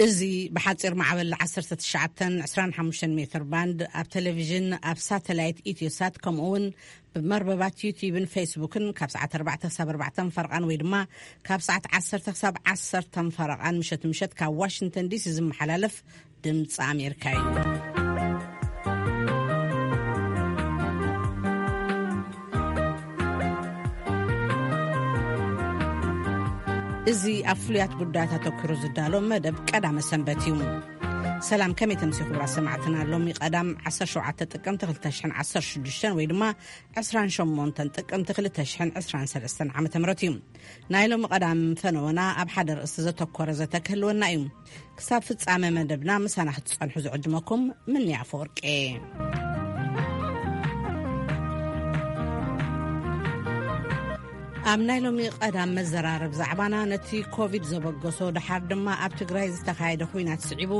እዚ ብሓጺር ማዕበል ዓሰርተ ትሽዓተ ዕስራን ሓሙሽተን ሜትር ባንድ ኣብ ቴሌቪዥን፣ ኣብ ሳተላይት ኢትዮሳት፣ ከምኡ እውን ብመርበባት ዩቲዩብን ፌስቡክን ካብ ሰዓት ኣርባዕተ ክሳብ ኣርባዕተ ፈረቓን ወይ ድማ ካብ ሰዓት ዓሰርተ ክሳብ ዓሰርተ ፈረቓን ምሸት ምሸት ካብ ዋሽንግተን ዲሲ ዝመሓላለፍ ድምፂ ኣሜሪካ እዩ። እዚ ኣብ ፍሉያት ጉዳያት ኣተኲሩ ዝዳሎ መደብ ቀዳመ ሰንበት እዩ። ሰላም፣ ከመይ ተምሲ ክቡራት ሰማዕትና? ሎሚ ቀዳም ዓሰርተ ሸውዓተ ጥቅምቲ ክልተ ሽሕን ዓሰርተ ሽዱሽተን ወይ ድማ ዕስራን ሸሞንተን ጥቅምቲ ክልተ ሽሕን ዕስራን ሰለስተን ዓመተ ምህረት እዩ። ናይ ሎሚ ቀዳም ፈነወና ኣብ ሓደ ርእሲ ዘተኮረ ዘተ ክህልወና እዩ። ክሳብ ፍጻመ መደብና ምሳና ክትጸንሑ ዝዕድመኩም ምንያ ኣፈወርቂ። ኣብ ናይ ሎሚ ቀዳም መዘራረብ ዛዕባና ነቲ ኮቪድ ዘበገሶ፣ ደሓር ድማ ኣብ ትግራይ ዝተኻየደ ኹናት ስዒቡ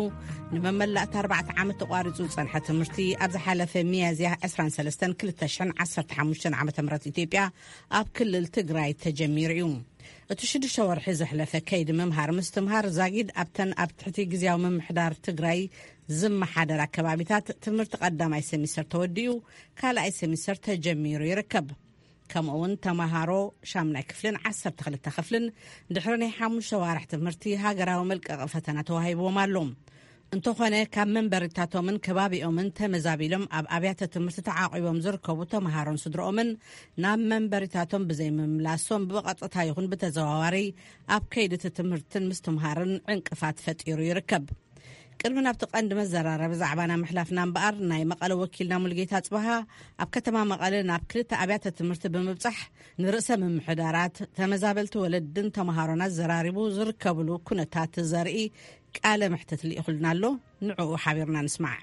ንመመላእታ ኣርባዕተ ዓመት ተቋሪጹ ዝጸንሐ ትምህርቲ ኣብ ዝሓለፈ ሚያዝያ ዕስራን ሰለስተን ክልተ ሽሕን ዓሰርተ ሓሙሽተን ዓመተ ምህረት ኢትዮጵያ ኣብ ክልል ትግራይ ተጀሚሩ እዩ። እቲ ሽዱሽተ ወርሒ ዘሕለፈ ከይዲ ምምሃር ምስትምሃር ዛጊድ ኣብተን ኣብ ትሕቲ ግዝያዊ ምምሕዳር ትግራይ ዝመሓደር ኣከባቢታት ትምህርቲ ቀዳማይ ሰሚስተር ተወዲኡ፣ ካልኣይ ሰሚስተር ተጀሚሩ ይርከብ። ከምኡ እውን ተመሃሮ ሻምናይ ክፍልን ዓሰርተ ክልተ ክፍልን ድሕሪ ናይ ሓሙሽተ ዋርሕ ትምህርቲ ሃገራዊ መልቀቂ ፈተና ተዋሂብዎም ኣሎ። እንተኾነ ካብ መንበሪታቶምን ከባቢኦምን ተመዛቢሎም ኣብ ኣብያተ ትምህርቲ ተዓቂቦም ዝርከቡ ተመሃሮን ስድርኦምን ናብ መንበሪታቶም ብዘይምምላሶም ብቐጥታ ይኹን ብተዘዋዋሪ ኣብ ከይዲ እቲ ትምህርትን ምስትምሃርን ዕንቅፋት ፈጢሩ ይርከብ። ቅድሚ ናብቲ ቀንዲ መዘራረቢ ዛዕባና ምሕላፍና እምበኣር፣ ናይ መቐለ ወኪልና ሙልጌታ ጽበሃ ኣብ ከተማ መቐለ ናብ ክልተ ኣብያተ ትምህርቲ ብምብጻሕ ንርእሰ ምምሕዳራት፣ ተመዛበልቲ ወለድን ተመሃሮን ኣዘራሪቡ ዝርከብሉ ኩነታት ዘርኢ ቃለ መሕትት ልኢኹልና ኣሎ። ንዕኡ ሓቢርና ንስማዕ።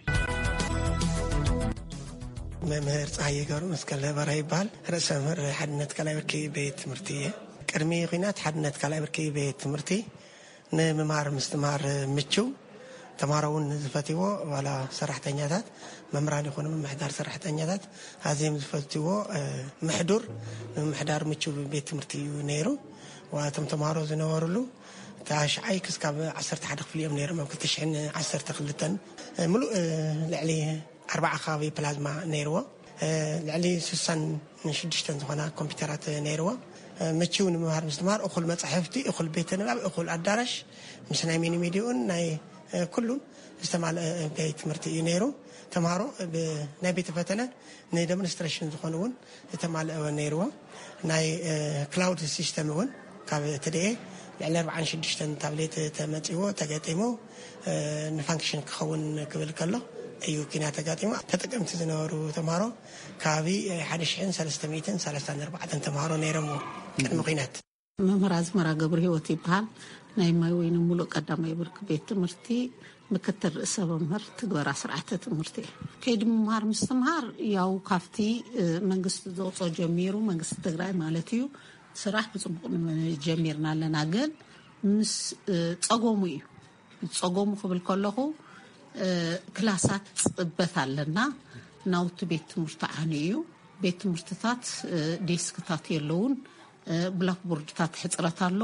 መምህር ፀሃየ ገብረ መስቀል በራ ይበሃል። ርእሰ መምህር ሓድነት ካልኣይ ብርኪ ቤት ትምህርቲ እየ። ቅድሚ ኹናት ሓድነት ካልኣይ ብርኪ ቤት ትምህርቲ ንምምሃር ምስትምሃር ምችው፣ ተምሃሮ እውን ዝፈትዎ፣ ዋላ ሰራሕተኛታት፣ መምህራን ይኹኑ ምምሕዳር ሰራሕተኛታት ኣዝዮም ዝፈትዎ፣ እ፣ ምሕዱር ንምምሕዳር ምችው ቤት ትምህርቲ እዩ ነይሩ። ዋላ እቶም ተምሃሮ ዝነበሩሉ ታሽዓይ ክስካብ ዓሰርተ ሓደ ክፍሊ እዮም ነይሮም። ኣብ ክልተ ሽሕን ዓሰርተ ክልተን፣ እ፣ ምሉእ፣ እ፣ ልዕሊ ኣርባዓ ከባቢ ፕላዝማ ነይርዎ። እ፣ ልዕሊ ስሳን ሽዱሽተን ዝኾና ኮምፒውተራት ነይርዎ። እ፣ ምችው ንምምሃር ምስትምሃር፣ እኹል መጻሕፍቲ፣ እኹል ቤተ ንባብ፣ እኹል ኣዳራሽ፣ ምስ ናይ ሚኒ ሚዲያኡን ናይ፣ እ፣ ኩሉን ዝተማልአ ቤት ትምህርቲ እዩ ነይሩ። ተምሃሮ ብ-፣ ናይ ቤተ ፈተነ ንደሞንስትሬሽን ዝኾኑ እውን ዝተማልአ ነይርዎ። ናይ፣ እ፣ ክላውድ ሲስተም እውን ካብ ትድኤ ልዕሊ ኣርባዓን ሽዱሽተን ታብሌት ተመጺዎ፣ ተገጢሙ፣ እ፣ ንፋንክሽን ክኸውን ክብል ከሎ እዩ ኪናት ተጋጢሙ። ተጠቀምቲ ዝነበሩ ተምሃሮ ከባቢ ሓደ ሽሕን ሰለስተ ሚእትን ሰላሳን ኣርባዕተን ተምሃሮ ነይሮምዎ ቅድሚ ኲናት። መምህር ኣዝመራ ገብረ ህይወት ይበሃል። ናይ ማይ ወይኒ ሙሉእ ቀዳማይ ብርኪ ቤት ትምህርቲ ምክትል ርእሰ መምህር ትግበራ ስርዓተ ትምህርቲ። ከይዲ ምምሃር ምስትምሃር ያው ካብቲ፣ እ፣ መንግስቲ ዘውፅኦ ጀሚሩ፣ መንግስቲ ትግራይ ማለት እዩ፣ ስራሕ ብፅቡቅ ን-፣ ጀሚርና ኣለና። ግን ምስ፣ እ፣ ፀገሙ እዩ። ፀገሙ ክብል ከለኹ፣ እ፣ ክላሳት ፅበት ኣለና። ናውቲ ቤት ትምህርቲ ዓንዩ እዩ። ቤት ትምህርትታት፣ እ፣ ዴስክታት የለውን። እ፣ ብላክቦርድታት ሕፅረት ኣሎ።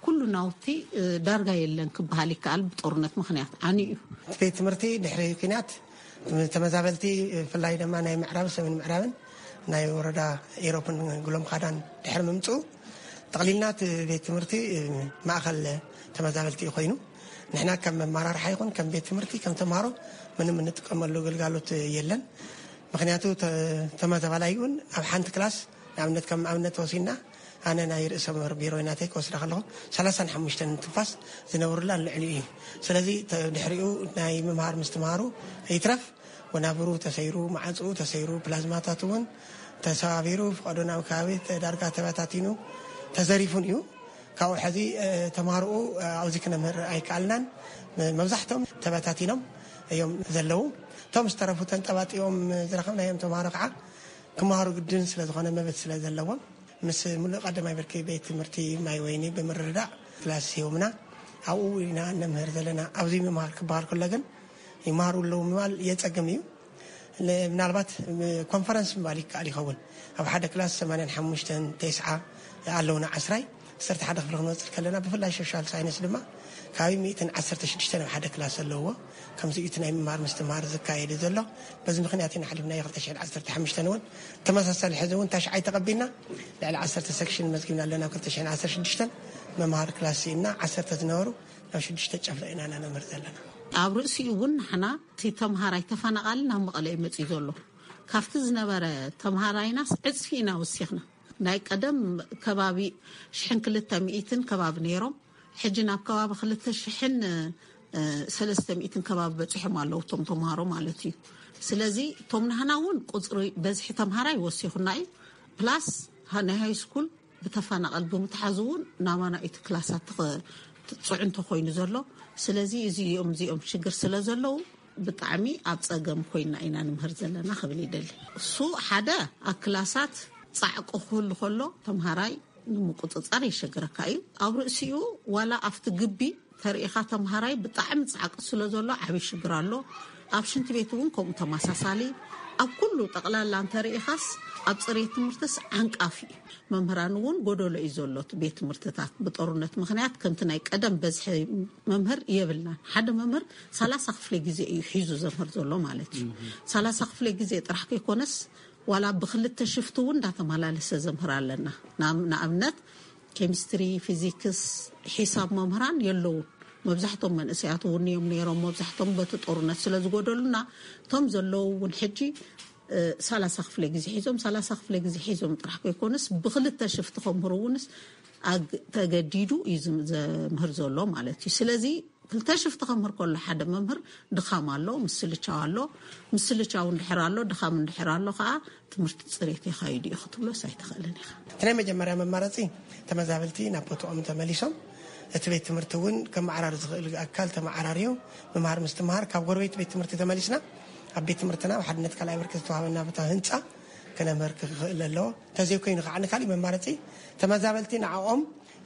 ኩሉ ናውቲ፣ እ፣ ዳርጋ የለን ክበሃል ይከኣል። ብጦርነት ምኽንያት ዓንዩ እዩ። ቤት ትምህርቲ ድሕሪ ኲናት ተመዛበልቲ፣ ብፍላይ ድማ ናይ ምዕራብ፣ ሰሜን ምዕራብን ናይ ወረዳ ኢሮፕን ጉሎም ካዳን ድሕሪ ምምፅኡ፣ ጠቕሊልና እቲ ቤት ትምህርቲ ማእኸል ተመዛበልቲ እዩ ኮይኑ። ንሕና ከም መመራርሓ ይኹን ከም ቤት ትምህርቲ፣ ከም ተምሃሮ ምንም እንጥቀመሉ ግልጋሎት የለን። ምኽንያቱ ተ-፣ ተመዛባላይ እውን ኣብ ሓንቲ ክላስ፣ ንኣብነት ከም ኣብነት ወሲድና፣ ኣነ ናይ ርእሰ መምህር ቢሮ ናተይ ክወስዳ ከለኹ፣ ሰላሳን ሓሙሽተን ትንፋስ ዝነብሩላ ልዕሊኡ እዩ። ስለዚ ተ-፣ ድሕሪኡ ናይ ምምሃር ምስትምሃሩ ይትረፍ፣ ወናብሩ ተሰይሩ፣ ማዕፅኡ ተሰይሩ፣ ፕላዝማታት እውን ተሰባቢሩ፣ ፍቐዶ ናብ ከባቢ ተ-፣ ዳርጋ ተበታቲኑ፣ ተዘሪፉን እዩ። ካብኡ ሕዚ፣ እ፣ ተምሃሮኡ፣ እ፣ ኣብዚ ክነምህር ኣይከኣልናን። መ-፣ መብዛሕትኦም ተበታቲኖም እዮም ዘለዉ። እቶም ዝተረፉ ተንጠባጢቦም ዝረኸብናዮም ተምሃሮ ከዓ ክመሃሩ ግድን ስለ ዝኾነ፣ መብት ስለ ዘለዎም፣ ምስ ሙሉእ ቀዳማይ ብርኪ ቤት ትምህርቲ ማይ ወይኒ ብምርድዳእ ክላስ ሂቦምና። ኣብኡ ኢና እነምህር ዘለና። ኣብዚ ምምሃር ክበሃል ከሎ ግን ይመሃሩ ኣለዉ ምባል የጸግም እዩ። ለ-፣ ምናልባት ኮንፈረንስ ምባል ይከኣል ይኸውን። ኣብ ሓደ ክላስ ሰማንያን ሓሙሽተን፣ ተስዓ ኣለዉና፣ ዓስራይ፣ ዓሰርተ ሓደ ክፍሊ ክንወጽእ ከለና፣ ብፍላይ ሶሻል ሳይንስ ድማ ካብ ሚእትን ዓሰርተ ሽዱሽተ ናብ ሓደ ክላስ ዘለዎ ከምዚ እዩ እቲ ናይ ምምሃር ምስትምሃር ዝካየድ ዘሎ። በዚ ምኽንያት ኢና ሓሊፍና ክልተ ሽሕን ዓሰርተ ሓሙሽተን እውን ተመሳሳሊ ሕዚ እውን ታሽዓይ ተቐቢልና ልዕሊ ዓሰርተ ሰክሽን መዝጊብና ኣለና። ክልተ ሽሕን ዓሰርተ ሽዱሽተን መምሃሪ ክላስ ስኢንና ዓሰርተ ዝነበሩ ናብ ሽዱሽተ ጨፍለቕና ኢና ነምህር ዘለና። ኣብ ርእሲኡ እውን ንሕና እቲ ተምሃራይ ተፈናቓሊ ናብ መቐለ እዩ መፂኡ ዘሎ። ካብቲ ዝነበረ ተምሃራይናስ ዕፅፊ ኢና ወሲኽና። ናይ ቀደም ከባቢ ሽሕን ክልተ ሚእትን ከባቢ ነይሮም። ሕጂ ናብ ከባቢ ክልተ ሽሕን ሰለስተ ሚእትን ከባቢ በፂሖም ኣለዉ እቶም ተምሃሮ ማለት እዩ። ስለዚ እቶም ናህና እውን ቁፅሪ በዝሒ ተምሃራይ ወሲኹና እዩ። ፕላስ ናይ ሃይ ስኩል ብተፈናቐል ብምትሓዙ እውን ናባና እቲ ክላሳት ተኸ- ፅዑንቶ ኮይኑ ዘሎ። ስለዚ እዚኦም እዚኦም ሽግር ስለ ዘለዉ ብጣዕሚ ኣብ ፀገም ኮይና ኢና ንምህር ዘለና ክብል ይደሊ። እሱ ሓደ ኣብ ክላሳት ፃዕቂ ክህሉ ከሎ ተምሃራይ ንምቁፅፃር የሸግረካ እዩ። ኣብ ርእሲኡ ዋላ ኣብቲ ግቢ ተርእኻ ተምሃራይ ብጣዕሚ ፃዕቂ ስለ ዘሎ ዓብዪ ሽግር ኣሎ። ኣብ ሽንቲ ቤት እውን ከምኡ ተመሳሳሊ። ኣብ ኩሉ ጠቕላላ እንተርእኻስ ኣብ ፅሬት ትምህርትስ ዓንቃፊ እዩ። መምህራን እውን ጎደሎ እዩ ዘሎ እቲ ቤት ትምህርትታት። ብጦርነት ምኽንያት ከምቲ ናይ ቀደም በዝሒ መምህር የብልናን። ሓደ መምህር ሰላሳ ክፍለ ግዜ እዩ ሒዙ ዘምህር ዘሎ ማለት እዩ። ሰላሳ ክፍለ ግዜ ጥራሕ ከይኮነስ ዋላ ብክልተ ሽፍቲ እውን እንዳተመላለሰ ዘምህር ኣለና። ንኣብነት ኬሚስትሪ፣ ፊዚክስ፣ ሒሳብ መምህራን የለውን። መብዛሕቶም መንእሰያት እውን እዮም ነይሮም። መብዛሕቶም በቲ ጦርነት ስለ ዝጎደሉና እቶም ዘለዉ እውን ሕጂ ሰላሳ ክፍለ ግዜ ሒዞም ሰላሳ ክፍለ ግዜ ሒዞም ጥራሕ ከይኮነስ ብክልተ ሽፍቲ ከምህሩ እውንስ ተገዲዱ እዩ ዘምህር ዘሎ ማለት እዩ። ስለዚ ክልተ ሽፍቲ ከምህር ከሎ ሓደ መምህር ድኻም ኣሎ፣ ምስልቻው ኣሎ። ምስልቻው እንድሕር ኣሎ፣ ድኻም እንድሕር ኣሎ ከዓ ትምህርቲ ፅሬት የኻይዱ እዩ ክትብሎስ ኣይትኽእልን ኢኻ። እቲ ናይ መጀመርያ መማረፂ ተመዛበልቲ ናብ ቦትኦም ተመሊሶም እቲ ቤት ትምህርቲ እውን ከመዓራሪ ዝኽእል ኣካል ተመዓራርዩ ምምሃር ምስትምሃር ካብ ጎረቤት ቤት ትምህርቲ ተመሊስና ኣብ ቤት ትምህርትና ኣብ ሓድነት ካልኣይ ብርኪ ዝተዋሃበና ቦታ ህንፃ ክነምህር ክኽእል ኣለዎ። እንተዘይኮይኑ ከዓ ንካሊእ መማረፂ ተመዛበልቲ ንዓኦም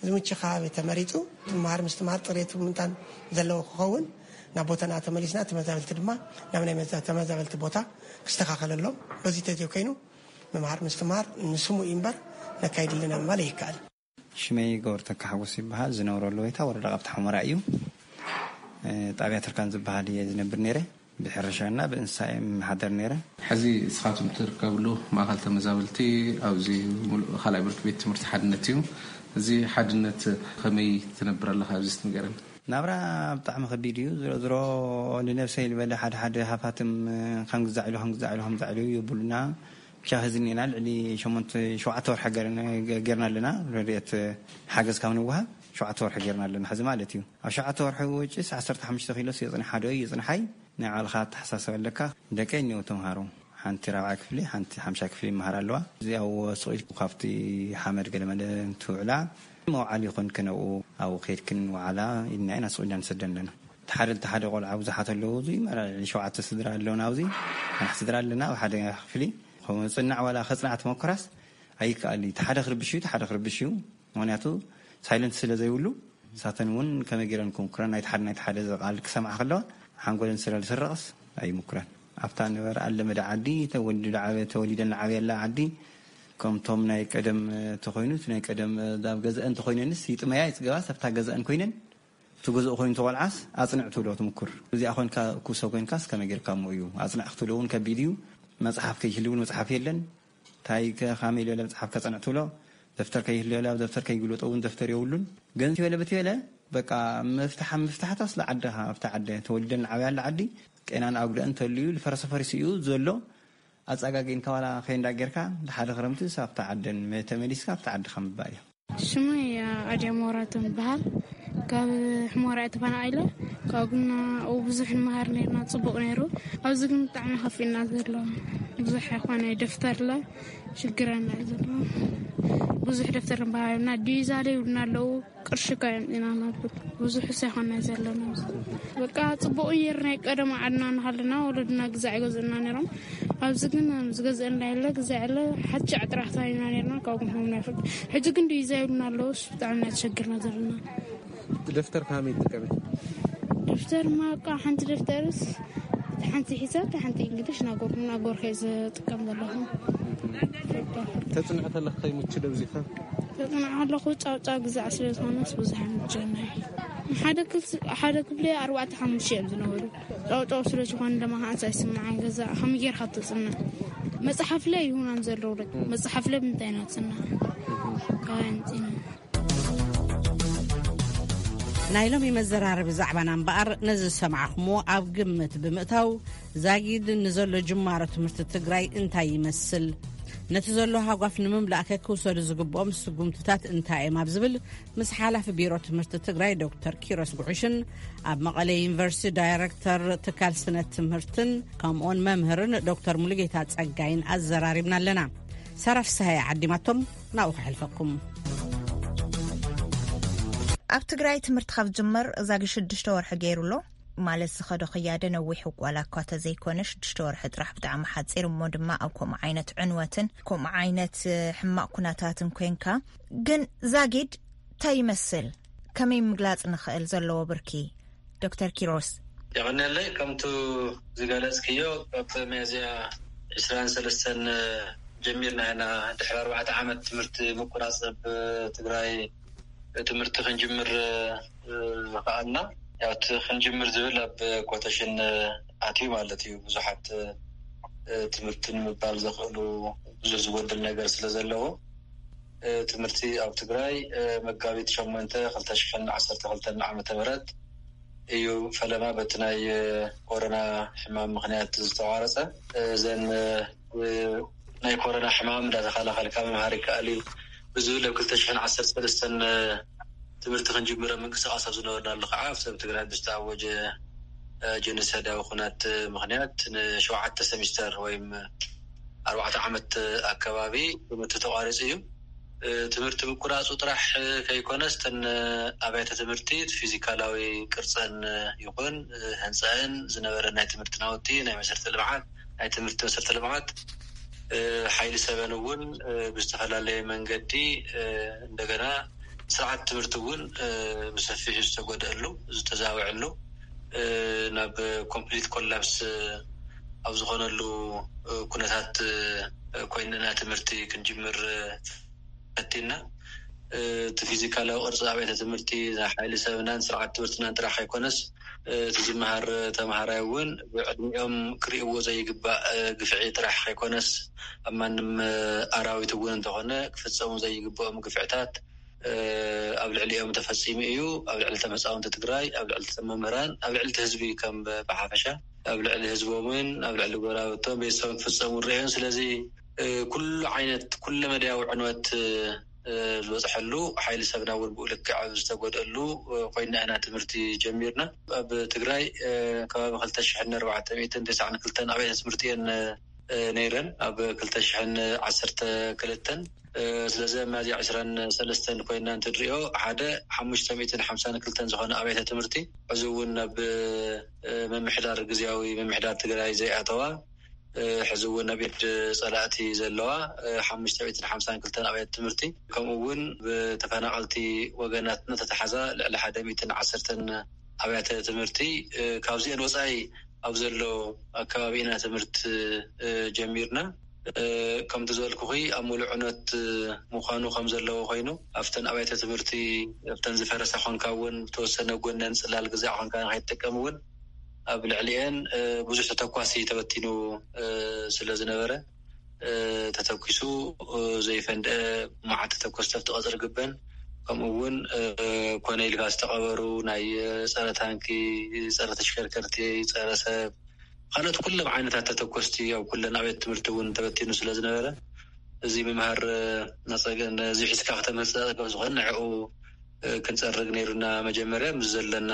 ዝምቹ ከባቢ ተመሪፁ ምምሃር ምስትምሃር ፅሬቱ ምንታን ዘለዎ ክኸውን ናብ ቦታና ተመሊስና ተመዛበልቲ ድማ ናብ ናይ መዛ- ተመዛበልቲ ቦታ ክስተኻኸለሎም። በዚ ተዘይኮይኑ ምምሃር ምስትምሃር ንስሙ እዩ እምበር ነካይድ ኣለና ምባል ይከኣል። ሽመይ ገብረተካ ሓጎስ ይበሃል። ዝነብረሉ ወይታ ወረዳ ቃብታ ሑመራ እዩ። ጣብያ ትርካን ዝበሃል እየ ዝነብር ነይረ። ብሕርሻና ብእንስሳ እየ የመሓደር ነይረ። ሕዚ ንስኻትኩም ትርከብሉ ማእኸል ተመዛበልቲ ኣብዚ ሙሉእ ካልኣይ ብርኪ ቤት ትምህርቲ ሓድነት እዩ። እዚ ሓድነት ከመይ ትነብር ኣለኻ? ኣብዚ እስቲ ንገረኒ። ናብራ ብጣዕሚ ከቢድ እዩ። ዝሮ ዝሮ ንነብሰይ ዝበለ ሓደ ሓደ ሃፋትም ከም ግዛዕ ኢሉ ከም ግዛዕ ኢሉ ከም ግዛዕ ኢሉ የብሉና። ብቻ ሕዚ እኒና ልዕሊ ሸሞንተ ሸውዓተ ወርሒ ገርና ኣለና። ረድኤት ሓገዝ ካብ ንወሃብ ሸውዓተ ወርሒ ገርና ኣለና ሕዚ ማለት እዩ። ኣብ ሸውዓተ ወርሒ ውጭስ ዓሰርተ ሓሙሽተ ኪሎ የፅንሓ ዶ ይፅንሓይ ናይ ባዕልኻ ኣተሓሳሰብ ኣለካ። ደቀይ እኒው ተምሃሮ ሓንቲ ራብዓ ክፍሊ ሓንቲ ሓምሻ ክፍሊ ይመሃር ኣለዋ። እዚ ኣብ ወስቂ ካብቲ ሓመድ ገለመለ እንትውዕላ መውዓል ይኾን ከነብኡ ኣብኡ ከይድክን ወዓላ ኢልና ኢና ስቑ ኢልና ንሰደን ኣለና። ተሓደ ተሓደ ቆልዓ ብዙሓት ኣለዉ። እዚ መራ ሸውዓተ ስድራ ኣለውና ኣብዚ ሓንቲ ስድራ ኣለና ኣብ ሓደ ክፍሊ። ከምኡ ጽናዕ ዋላ ከጽናዕ ተመኩራስ ኣይከኣል እዩ። ተሓደ ክርብሽ እዩ ተሓደ ክርብሽ እዩ። ምክንያቱ ሳይለንት ስለ ዘይብሉ ንሳተን እውን ከመይ ገይረን ክምኩረን ናይቲ ሓደ ናይቲ ሓደ ቃል ክሰምዓ ከለዋ ሓንጎለን ስለ ዝስረቕስ ኣይምኩረን። ኣብታ ንበር ኣለመደ ዓዲ ተወሊዱ ዓበ- ተወሊደን ዓብየላ ዓዲ ከምቶም ናይ ቀደም ተኮይኑ እቲ ናይ ቀደም ኣብ ገዛአን ተኮይነንስ ይጥመያ ይፅገባስ ኣብታ ገዛአን ኮይነን እቲ ገዛኡ ኮይኑ ተቆልዓስ ኣፅንዕ ትብሎ ትምኩር። እዚኣ ኮንካ ኩሰ ኮንካስ ከመይ ጌርካ እሞ እዩ ኣፅንዕ ክትብሎ እውን ከቢድ እዩ። መፅሓፍ ከይህልውን መፅሓፍ የለን። እንታይ ከ- ከመይ ዝበለ መፅሓፍ ከፀንዕ ትብሎ? ደፍተር ከይህልዮ ኣብ ደፍተር ከይግልበጦ እውን ደፍተር የብሉን። ግን ትበለ ብትበለ በቃ ምፍታሕ ምፍታሕታስ ለዓድኻ ኣብታ ዓደ ተወሊደን ዓብያለ ዓዲ ቄናን ኣጉደእን ተልዩ ልፈረሰ ፈሪሱ እዩ ዘሎ። ኣፀጋጊንካ ዋላ ከይንዳ ጌርካ ሓደ ክረምቲ ኣብታ ዓደን ተመሊስካ ኣብታ ዓድኻ ምባእ እዩ። ሽመይ ኣድያ ሞራቶም ይበሃል። ካብ ሕሞራ እየ ተፈናቒለ። ካብ ግና ኣብኡ ብዙሕ ንመሃር ነርና፣ ጽቡቕ ነይሩ። ኣብዚ ግን ብጣዕሚ ከፊእና ዘሎ ብዙሕ ኣይኮነ ደፍተርለ ሽግረና እዩ ዘሎ። ብዙሕ ደፍተር ንበሃልና ዲዛ ዘይብልና ኣለዉ። ቅርሺ እኳ የምፅና ነብር ብዙሕ ሳይኮና ዘለና። በቃ ጽቡቕ እየር ናይ ቀደም ዓድና እናሃለና ወለድና ግዛዕ ይገዝእና ነይሮም። ኣብዚ ግን ዝገዝአና የለ ግዛዕ የለ ሓቻዕ ጥራሕ ታይና ነርና። ካብ ግንሆም ናይ ፍርድ ሕጂ ግን ዲዛ ይብልና ኣለዉ። ብጣዕሚ ናይ ተሸግርና ዘለና። ደፍተር ከመይ ትጥቀሚ? ደፍተር ማቃ ሓንቲ ደፍተርስ ሓንቲ ሒሳብ ሓንቲ እንግሊሽ ናጎርኩ ናጎር ከይ ዝጥቀም ዘለኹ። ተጽንዕ ከለኽ ከይምቹ ደብዚኻ? ተጽንዕ ከለኹ ጫውጫው ግዛዕ ስለ ዝኾነስ ብዙሕ ኣይምችወና እዩ። ሓደ ክፍሊ ኣርባዕተ ሓሙሽተ እዮም ዝነበሩ። ጫውጫው ስለ ዝኾነ ድማ ከዓንስ ኣይስምዓን። ገዛ ከመይ ጌርካ ትፅናዕ? መፅሓፍ ላይ ይሁን ኣንዘለው። መፅሓፍ ላይ ብምንታይ ኢና ንፅናዕ? ካባይ ኣምፂና። ናይ ሎሚ መዘራረቢ ዛዕባና እምበኣር፣ ነዚ ዝሰማዕኹምዎ ኣብ ግምት ብምእታው፣ ዛጊድ ንዘሎ ጅማሮ ትምህርቲ ትግራይ እንታይ ይመስል፣ ነቲ ዘሎ ሃጓፍ ንምምላእ ከክውሰዱ ዝግብኦም ስጉምትታት እንታይ እዮም ኣብ ዝብል፣ ምስ ሓላፊ ቢሮ ትምህርቲ ትግራይ ዶክተር ኪሮስ ጉዕሽን ኣብ መቐለ ዩኒቨርሲቲ ዳይረክተር ትካል ስነ ትምህርትን ከምኡውን መምህርን ዶክተር ሙሉጌታ ጸጋይን ኣዘራሪብና ኣለና። ሳራ ፍስሃየ ዓዲማቶም፣ ናብኡ ከሕልፈኩም። ኣብ ትግራይ ትምህርቲ ካብ ዝጅመር ዛጊድ ሽዱሽተ ወርሒ ገይሩ ኣሎ። ማለት ዝኸዶ ክያደ ነዊሕ ዋላ እኳ ተዘይኮነ፣ ሽዱሽተ ወርሒ ጥራሕ ብጣዕሚ ሓፂር። እሞ ድማ ኣብ ከምኡ ዓይነት ዕንወትን ከምኡ ዓይነት ሕማቕ ኩነታትን ኮንካ፣ ግን ዛጊድ እንታይ ይመስል? ከመይ ምግላፅ ንኽእል ዘለዎ ብርኪ? ዶክተር ኪሮስ። የቐንየለይ። ከምቱ ዝገለጽክዮ፣ ካብ ሚያዝያ ዕስራን ሰለስተን ጀሚርና ኢና፣ ድሕሪ ኣርባዕተ ዓመት ትምህርቲ ምቁራጽ ኣብ ትግራይ ትምህርቲ ክንጅምር፣ እ፣ ኸኣልና። ያው እቲ ክንጅምር ዝብል ኣብ ኮተሽን ኣትዩ ማለት እዩ። ብዙሓት፣ እ፣ ትምህርቲ ንምባል ዘኽእሉ ብዙሕ ዝጎድል ነገር ስለ ዘለዎ፣ እ፣ ትምህርቲ ኣብ ትግራይ፣ እ፣ መጋቢት ሸሞንተ ክልተ ሽሕን ዓሰርተ ክልተን ዓመተ ምህረት እዩ ፈለማ በቲ ናይ፣ እ፣ ኮሮና ሕማም ምኽንያት ዝተቋረጸ። እ፣ እዘን፣ እ፣ እ፣ ናይ ኮሮና ሕማም እንዳተኸላኸልካ ምምሃር ይከኣል እዩ ብዝብል ኣብ ክልተ ሽሕን ዓሰርተ ሰለስተን፣ እ፣ ትምህርቲ ክንጅምረ ምንቅስቃስ ኣብ ዝነበርናሉ ከዓ ኣብቲ ኣብ ትግራይ ብዝተኣወጀ፣ እ፣ ጀኖሳይዳዊ ኩናት ምኽንያት ንሸውዓተ ሰሚስተር ወይም ኣርባዕተ ዓመት ኣከባቢ ትምህርቲ ተቋሪጹ እዩ። እ፣ ትምህርቲ ምቁራጹ ጥራሕ ከይኮነስ፣ እተን ኣብያተ ትምህርቲ ፊዚካላዊ ቅርጸን ይኹን፣ እ፣ ህንጻን ዝነበረ ናይ ትምህርቲ ናውቲ፣ ናይ መሰረተ ልምዓት፣ ናይ ትምህርቲ መሰረተ ልምዓት፣ እ፣ ሓይሊ ሰበን እውን፣ እ፣ ብዝተፈላለየ መንገዲ፣ እ፣ እንደገና ስርዓት ትምህርቲ እውን፣ እ፣ ብሰፊሑ ዝተጎድአሉ፣ ዝተዛወዐሉ፣ እ፣ ናብ ኮምፕሊት ኮላፕስ፣ እ፣ ኣብ ዝኾነሉ፣ እ፣ ኩነታት፣ እ፣ ኮይንና ትምህርቲ ክንጅምር፣ እ፣ ፈቲና። እ፣ እቲ ፊዚካላዊ ቅርፂ ኣብያተ ትምህርቲ ናይ ሓይሊ ሰብናን ስርዓት ትምህርትናን ጥራሕ ከይኮነስ፣ እ፣ እቲ ዝመሃር ተምሃራይ እውን ብዕድሚኦም ክርእይዎ ዘይግባእ፣ እ፣ ግፍዒ ጥራሕ ከይኮነስ፣ ኣብ ማንም፣ እ፣ ኣራዊት እውን እንተኾነ ክፍፀሙ ዘይግብኦም ግፍዕታት፣ እ፣ ኣብ ልዕሊኦም ተፈፂሙ እዩ። ኣብ ልዕሊ ተመፃወንቲ ትግራይ፣ ኣብ ልዕሊ መምህራን፣ ኣብ ልዕሊ እቲ ህዝቢ ከም ብሓፈሻ፣ ኣብ ልዕሊ ህዝቦምን ኣብ ልዕሊ ጎረባብቶም ቤተሰቦም ክፍፀሙ ንርእዮም። ስለዚ፣ እ፣ ኩሉ ዓይነት ኩለ መዳያዊ ዕንወት፣ እ፣ ዝበፅሐሉ፣ ሓይሊ ሰብና እውን ብኡ ልክዕ ኣብ ዝተጎድአሉ፣ እ፣ ኮይና ኢና ትምህርቲ ጀሚርና። ኣብ ትግራይ፣ እ፣ ከባቢ ክልተ ሽሕን ኣርባዕተ ሚእትን ተስዓን ክልተን ኣብያተ ትምህርቲ እየን፣ እ፣ ነይረን። ኣብ ክልተ ሽሕን ዓሰርተ ክልተን፣ እ፣ ስለዚ ኣብ ሚያዝያ ዕስራን ሰለስተን ኮይና እንትንሪኦ፣ ሓደ ሓሙሽተ ሚእትን ሓምሳን ክልተን ዝኾነ ኣብያተ ትምህርቲ፣ ሕዚ እውን ናብ፣ እ፣ ምምሕዳር፣ ግዝያዊ ምምሕዳር ትግራይ ዘይኣተዋ፣ እ፣ ሕዚ እውን ኣብ ኢድ ጸላእቲ ዘለዋ፣ እ፣ ሓሙሽተ ሚእትን ሓምሳን ክልተን ኣብያተ ትምህርቲ፣ ከምኡ እውን ብተፈናቐልቲ ወገናትና ተተሓዛ ልዕሊ ሓደ ሚእትን ዓሰርተን ኣብያተ ትምህርቲ፣ እ፣ ካብዚአን ወጻኢ ኣብ ዘሎ ኣከባቢ ኢና ትምህርቲ፣ እ፣ ጀሚርና። እ፣ ከምቲ ዝበልኩኺ ኣብ ሙሉእ ዕንወት፣ እ፣ ምዃኑ ከም ዘለዎ ኮይኑ፣ ኣብተን ኣብያተ ትምህርቲ፣ ኣብተን ዝፈረሳ ኮንካ እውን ብተወሰነ ጎነን ጽላል ግዛዕ ኮንካ ንኸይትጥቀም እውን ኣብ ልዕሊአን፣ እ፣ ብዙሕ ተተኳሲ ተበቲኑ፣ እ፣ ስለ ዝነበረ፣ እ፣ ተተኪሱ፣ እ፣ ዘይፈንድአ መዓት ተተኮስቲ ኣብቲ ቀጽሪ ግበን፣ ከምኡ እውን፣ እ፣ ኮነ ኢልካ ዝተቐበሩ ናይ፣ እ፣ ጸረ ታንኪ፣ ጸረ ተሽከርከርቲ፣ ጸረ ሰብ፣ ካልኦት ኩሎም ዓይነታት ተተኮስቲ ኣብ ኩለን ኣብያተ ትምህርቲ እውን ተበቲኑ ስለ ዝነበረ፣ እዚ ምምሃር፣ እ፣ ነጸገ-፣ ነዚ ሒዝካ ከተምህር ዘጸገም ዝኾነ ንዕኡ፣ እ፣ ክንጸርግ ነይሩና። መጀመርያ ምስ ዘለና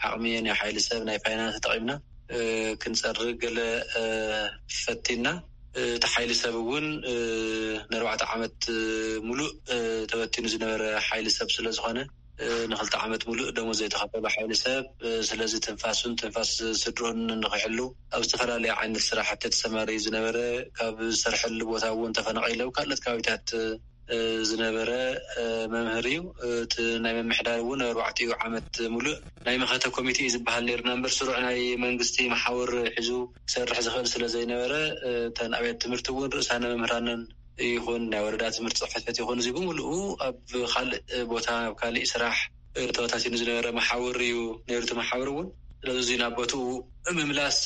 ዓቕሚ ናይ ሓይሊ ሰብ፣ ናይ ፋይናንስ ተጠቒምና፣ እ፣ ክንጸርግ ገለ፣ እ፣ ፈቲና። እ፣ እቲ ሓይሊ ሰብ እውን፣ እ፣ ንኣርባዕተ ዓመት፣ እ፣ ሙሉእ፣ እ፣ ተበቲኑ ዝነበረ ሓይሊ ሰብ ስለ ዝኾነ፣ እ፣ ንኽልተ ዓመት ሙሉእ ደሞዝ ዘይተኸፈሎ ሓይሊ ሰብ፣ እ፣ ስለዚ ትንፋሱን ትንፋስ ስድርኡን ንኽሕሉ ኣብ ዝተፈላለየ ዓይነት ስራሕቲ ተሰማርዩ ዝነበረ፣ ካብ ዝሰርሐሉ ቦታ እውን ተፈናቒሉ ኣብ ካልኦት ከባቢታት፣ እ፣ ዝነበረ፣ እ፣ መምህር እዩ። እ፣ እቲ ናይ ምምሕዳር እውን ኣርባዕቲኡ ዓመት ሙሉእ ናይ መኸተ ኮሚቴ እዩ ዝበሃል ነይሩና እምበር፣ ስሩዕ ናይ መንግስቲ መሓውር ሒዙ ክሰርሕ ዝኽእል ስለ ዘይነበረ፣ እ፣ እተን ኣብያተ ትምህርቲ እውን ርእሳነ መምህራንን ይኹን ናይ ወረዳ ትምህርቲ ጽሕፈት ቤት ይኹን፣ እዚ ብምሉኡ ኣብ ካልእ ቦታ፣ ኣብ ካልእ ስራሕ፣ ተበታቲኑ ዝነበረ መሓውር እዩ ነይሩ፣ እቲ መሓውር እውን። ስለዚ ናብ ቦትኡ ምምላስ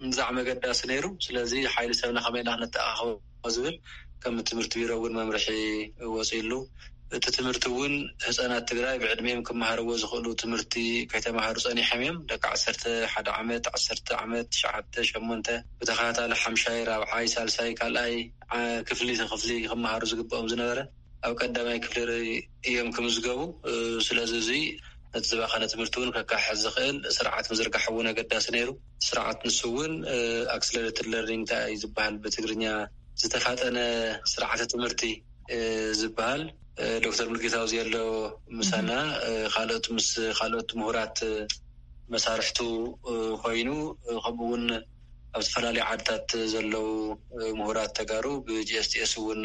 ንዛዕ መገዳሲ ነይሩ። ስለዚ ሓይሊ ሰብና ከመይ ኢና ክነተኣኻኸቦ ዝብል ከም ትምህርቲ ቢሮ እውን መምርሒ ወፂሉ። እቲ ትምህርቲ እውን ህፃናት ትግራይ ብዕድሜም ክመሃርዎ ዝኽእሉ ትምህርቲ ከይተማሃሩ ፀኒሖም እዮም። ደቂ ዓሰርተ ሓደ ዓመት፣ ዓሰርተ ዓመት፣ ትሽዓተ፣ ሸሞንተ፣ ብተኸታታሊ ሓምሻይ፣ ራብዓይ፣ ሳልሳይ፣ ካልኣይ ክፍሊ ክፍሊ ክመሃሩ ዝግብኦም ዝነበረ ኣብ ቀዳማይ ክፍሊ እዮም ክምዝገቡ። ስለዚ እዚ ነቲ ዝባኸነ ትምህርቲ እውን ከካሕሕ ዝኽእል ስርዓት ምዝርጋሕ እውን ኣገዳሲ ነይሩ። ስርዓት ንሱ እውን ኣክስለሬትድ ለርኒንግ እንታይ እዩ ዝበሃል ብትግርኛ፣ ዝተፋጠነ ስርዓተ ትምህርቲ ዝበሃል። ዶክተር ሙልጌታ ኣብዚ ኣሎ ምሳና፣ ካልኦት ምስ ካልኦት ምሁራት መሳርሕቱ ኮይኑ፣ ከምኡ እውን ኣብ ዝተፈላለዩ ዓድታት ዘለዉ ምሁራት ተጋሩ ብጂኤስቲኤስ እውን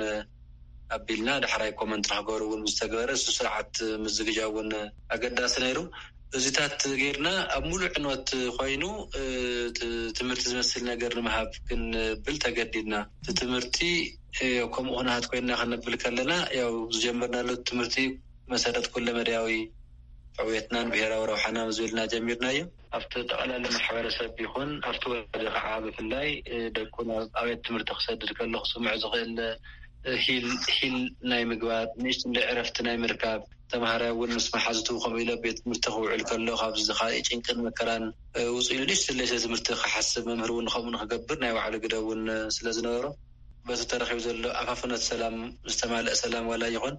ኣቢልና ዳሕራይ ኮመንት ንክገብሩ እውን ዝተገበረ፣ እሱ ስርዓት ምዝግጃ እውን ኣገዳሲ ነይሩ። እዚታት ጌርና ኣብ ሙሉእ ዕንወት ኮይኑ ትምህርቲ ዝመስል ነገር ንምሃብ ክንብል ተገዲድና። እቲ ትምህርቲ ከምኡ ክንሃት ኮይንና ክንብል ከለና፣ ያው ዝጀመርናሉ ትምህርቲ መሰረት ኩለ መዳያዊ ዕውየትናን ብሄራዊ ረብሓና ዝብልና ጀሚርናዮ። ኣብቲ ጠቕላላ ማሕበረሰብ ይኹን ኣብቲ ወለዲ ከዓ ብፍላይ ደቁ ናብ ኣብያት ትምህርቲ ክሰድድ ከሎ ክስምዑ ዝኽእል ሂል ሂል ናይ ምግባር፣ ንእሽትንዶ ዕረፍቲ ናይ ምርካብ፣ ተምሃራይ እውን ምስ መሓዝቱ ከምኡ ኢለ ቤት ትምህርቲ ክውዕል ከሎ ካብዚ ዝኻእ ጭንቅን መከራን ውፅኢሉ ንእሽትለይ ስለ ትምህርቲ ክሓስብ፣ መምህር እውን ከምኡ ንክገብር ናይ ባዕሉ ግደ እውን ስለ ዝነበሮ፣ በቲ ተረኺቡ ዘሎ ኣፋፍኖት ሰላም ዝተማልአ ሰላም ዋላ ይኹን፣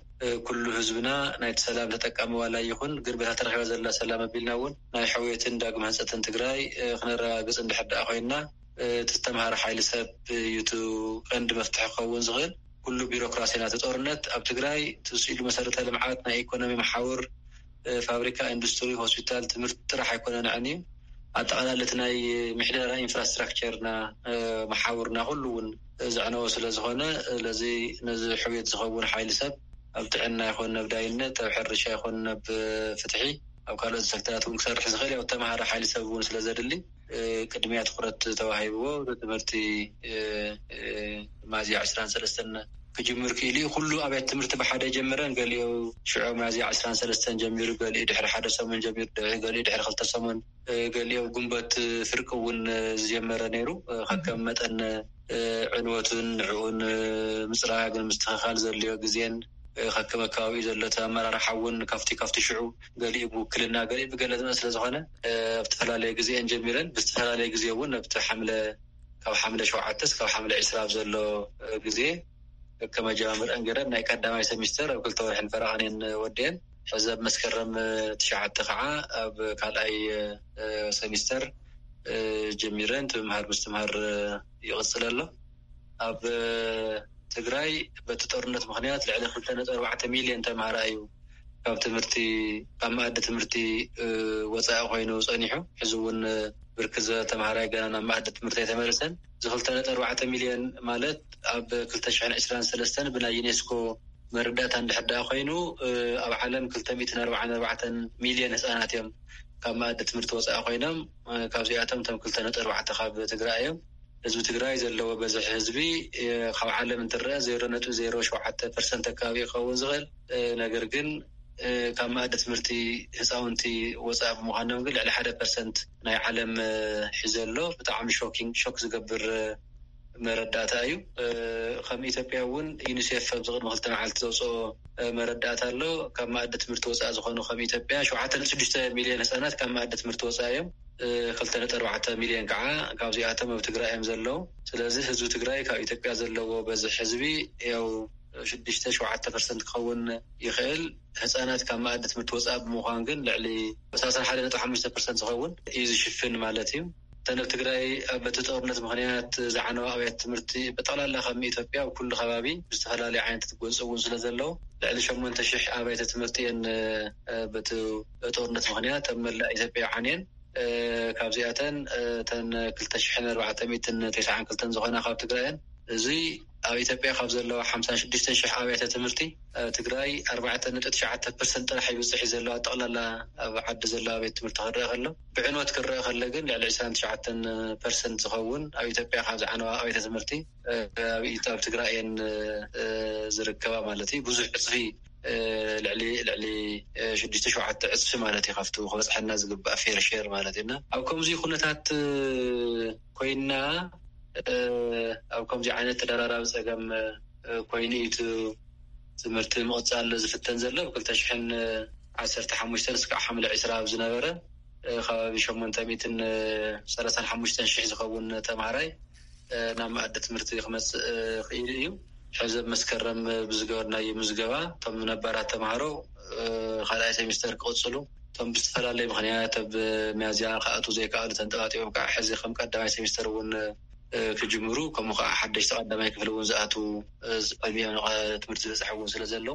ኩሉ ህዝብና ናይቲ ሰላም ተጠቃሚ ዋላ ይኹን፣ ግን በታ ተረኺባ ዘላ ሰላም ኣቢልና እውን ናይ ሕውየትን ዳግም ህንፀትን ትግራይ ክነረጋግፅ እንድሕር ደኣ ኮይንና፣ እቲ ዝተምሃረ ሓይሊ ሰብ እዩ እቲ ቀንዲ መፍትሒ ክኸውን ዝኽእል። ኩሉ ቢሮክራሲ ናቲ ጦርነት ኣብ ትግራይ ትስኢሉ መሰረተ ልምዓት፣ ናይ ኢኮኖሚ መሓውር፣ ፋብሪካ፣ ኢንዱስትሪ፣ ሆስፒታል፣ ትምህርቲ ጥራሕ ኣይኮነን ኣዕንዩ፣ ኣጠቓላሊ እቲ ናይ ምሕደራ ኢንፍራስትራክቸርና፣ መሓውርና ኩሉ እውን ዘዕነወ ስለ ዝኾነ፣ ስለዚ ነዚ ሕውየት ዝኸውን ሓይሊ ሰብ ኣብ ጥዕና ይኹን ናብ ዳይነት፣ ኣብ ሕርሻ ይኹን ናብ ፍትሒ፣ ኣብ ካልኦት ሴክተራት እውን ክሰርሕ ዝኽእል ያው ተምሃረ ሓይሊ ሰብ እውን ስለ ዘድሊ፣ ቅድሚያ ትኹረት ተዋሂብዎ ትምህርቲ ሚያዝያ ዕስራን ሰለስተን ክጅምር ክኢሉ እዩ። ኩሉ ኣብያት ትምህርቲ ብሓደ ጀመረን፣ ገሊኡ ሽዑ ሚያዝያ ዕስራን ሰለስተን ጀሚሩ፣ ገሊኡ ድሕሪ ሓደ ሰሙን ጀሚሩ፣ ገሊኡ ድሕሪ ክልተ ሰሙን፣ ገሊኡ ግንቦት ፍርቂ እውን ዝጀመረ ነይሩ። ከከም መጠን ዕንወቱን ንዕኡን ምፅራግን ምስትኽኻል ዘድልዮ ግዜን ከከም ኣከባቢኡ ዘሎ እቲ ኣመራርሓ እውን ካብቲ ካብቲ ሽዑ ገሊኡ ብውክልና ገሊኡ ብገለ ዝመፅእ ስለ ዝኾነ ኣብ ዝተፈላለየ ግዜአን ጀሚረን ብዝተፈላለየ ግዜ እውን ኣብቲ ሓምለ ካብ ሓምለ ሸውዓተ እስካብ ሓምለ ዕስራ ኣብ ዘሎ ግዜ ከመጀማምርአን ገይረን ናይ ቀዳማይ ሰሚስተር ኣብ ክልተ ወርሕን ፈረቓን እየን ወዲአን። ሕዚ ኣብ መስከረም ትሽዓተ ከዓ ኣብ ካልኣይ ሰሚስተር ጀሚረን እቲ ምምሃር ምስትምሃር ይቕፅል ኣሎ። ኣብ ትግራይ በቲ ጦርነት ምኽንያት ልዕሊ ክልተ ነጥቢ ኣርባዕተ ሚልዮን ተምሃራይ እዩ ካብ ትምህርቲ ካብ መኣዲ ትምህርቲ ወፃኢ ኮይኑ ፀኒሑ። ሕዚ እውን ብርክት ዝበለ ተምሃራይ ገና ናብ መኣዲ ትምህርቲ ኣይተመለሰን። እዚ ክልተ ነጥቢ ኣርባዕተ ሚልዮን ማለት ኣብ ክልተ ሽሕን ዕስራን ሰለስተን ብናይ ዩኔስኮ መረዳእታ እንድሕር ደኣ ኮይኑ ኣብ ዓለም ክልተ ሚእትን ኣርባዓን ኣርባዕተን ሚልዮን ህፃናት እዮም ካብ መኣዲ ትምህርቲ ወፃኢ ኮይኖም። ካብዚኣቶም እቶም ክልተ ነጥቢ ኣርባዕተ ካብ ትግራይ እዮም። ህዝቢ ትግራይ ዘለዎ በዝሒ ህዝቢ ካብ ዓለም እንትረአ ዜሮ ነጥቢ ዜሮ ሸውዓተ ፐርሰንት ኣካባቢ ክኸውን ዝኽእል፣ ነገር ግን ካብ መኣዲ ትምህርቲ ህፃውንቲ ወፃኢ ብምዃኖም ግን ልዕሊ ሓደ ፐርሰንት ናይ ዓለም ሒዘ ኣሎ። ብጣዕሚ ሾኪንግ ሾክ ዝገብር መረዳእታ እዩ። ከም ኢትዮጵያ እውን ዩኒሴፍ ኣብዚ ቅድሚ ክልተ መዓልቲ ዘውፅኦ መረዳእታ ኣሎ። ካብ መኣዲ ትምህርቲ ወፃኢ ዝኾኑ ከም ኢትዮጵያ ሸውዓተ ነጥቢ ሽዱሽተ ሚልዮን ህፃናት ካብ መኣዲ ትምህርቲ ወፃኢ እዮም። ክልተ ነጥቢ ኣርባዕተ ሚልዮን ከዓ ካብዚኣቶም ኣብ ትግራይ እዮም ዘለዉ። ስለዚ ህዝቢ ትግራይ ካብ ኢትዮጵያ ዘለዎ በዝሒ ህዝቢ ያው ሽዱሽተ ሸውዓተ ፐርሰንት ክኸውን ይኽእል። ህፃናት ካብ መኣዲ ትምህርቲ ወፃኢ ብምዃን ግን ልዕሊ ሰላሳ ሓደ ነጥቢ ሓሙሽተ ፐርሰንት ዝኸውን እዩ ዝሽፍን ማለት እዩ። እተን ኣብ ትግራይ በቲ ጦርነት ምኽንያት ዝዓነዋ ኣብያተ ትምህርቲ ብጠቕላላ ከም ኢትዮጵያ ኣብ ኩሉ ከባቢ ብዝተፈላለዩ ዓይነት ጎንፂ እውን ስለ ዘለዉ ልዕሊ ሸሞንተ ሽሕ ኣብያተ ትምህርቲ እየን በቲ ጦርነት ምኽንያት ኣብ መላእ ኢትዮጵያ ዓንየን። ካብዚኣተን እተን ክልተ ሽሕን ኣርባዕተ ሚእትን ተስዓን ክልተን ዝኾና ካብ ትግራይ እየን። እዚ ኣብ ኢትዮጵያ ካብ ዘለዋ ሓምሳን ሽዱሽተን ሽሕ ኣብያተ ትምህርቲ ትግራይ ኣርባዕተ ነጥቢ ትሽዓተ ፐርሰንት ጥራሕ ይብፅሕ እዩ ዘለዋ ጠቕላላ ኣብ ዓዲ ዘለዋ ቤት ትምህርቲ ክረአ ከሎ፣ ብዕንወት ክረአ ከሎ ግን ልዕሊ ዕስራን ትሽዓተን ፐርሰንት ዝኸውን ኣብ ኢትዮጵያ ካብ ዝዓነዋ ኣብያተ ትምህርቲ ኣብ ኢት- ኣብ ትግራይ እየን ዝርከባ ማለት እዩ። ብዙሕ ዕፅፊ ልዕሊ ልዕሊ ሽዱሽተ ሸውዓተ ዕፅፊ ማለት እዩ ካብቲ ክበፅሐና ዝግባእ ፌር ሼር ማለት እዩና። ኣብ ከምዚ ኩነታት ኮይና ኣብ ከምዚ ዓይነት ተደራራቢ ፀገም ኮይኑ እዩ ትምህርቲ ምቕፃል ዝፍተን ዘሎ። ብ ክልተ ሽሕን ዓሰርተ ሓሙሽተን እስካብ ሓምለ ዕስራ ኣብ ዝነበረ ከባቢ ሸሞንተ ሚእትን ሰላሳን ሓሙሽተን ሽሕ ዝኸውን ተምሃራይ ናብ መኣዲ ትምህርቲ ክመፅእ ክኢሉ እዩ። ሕዚ ኣብ መስከረም ብዝገበርናዮ ምዝገባ እቶም ነባራት ተምሃሮ ካልኣይ ሴሚስተር ክቕፅሉ፣ እቶም ብዝተፈላለየ ምክንያት ኣብ ሚያዝያ ክኣትዉ ዘይከኣሉ ተንጠባጢቦም ከዓ ሕዚ ከም ቀዳማይ ሴሚስተር እውን ክጅምሩ፣ ከምኡ ከዓ ሓደሽቲ ቀዳማይ ክፍሊ እውን ዝኣትዉ ዕድሚኦም ትምህርቲ ዝበፅሐ እውን ስለ ዘሎ፣